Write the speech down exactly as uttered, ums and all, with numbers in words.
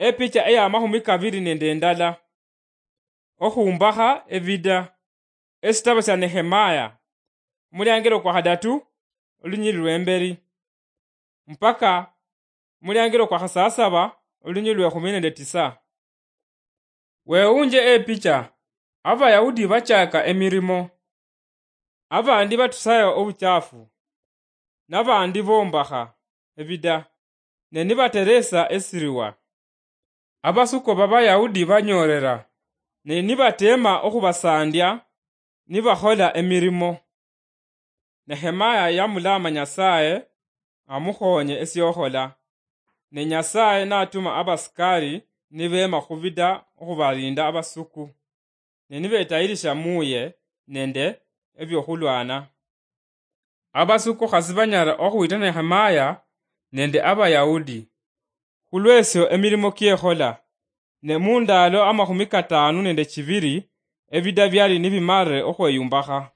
Epicha eya mahumi kabiri nende endala. Okhumbakha ebida. Esitabo sya Nehemaya, omuliangelo kwa khadatu, olunyili lwemberi, mpaka omuliangelo kwa khasasaba, olunyili lwe khumi nende tisa. Weunje epicha, Abayahudi bachaka emirimo, abandi batusayo obuchafu, nabandi bombakha ebida, ne nibateresa esiriwa. Abasuko b'Abayahudi banyoolera, ne nibateema okhubasaandya nibakhola emirimo. Nehemaya yamulaama Nyasaye amukhoonye esyokhola, ne Nyasaye natuma abasikari nibeema khubida okhubaliinda abasuku, ne nibetayirisha muuye nende ebyokhulwana. Abasuku khasi banyala okhwita Nehemaya nende Abayahudi. Khulwesyo emirimo kyekhola, ne mundaalo amakhumi kataanu nende chibiri ebida byali nibimalire okhweyumbakha.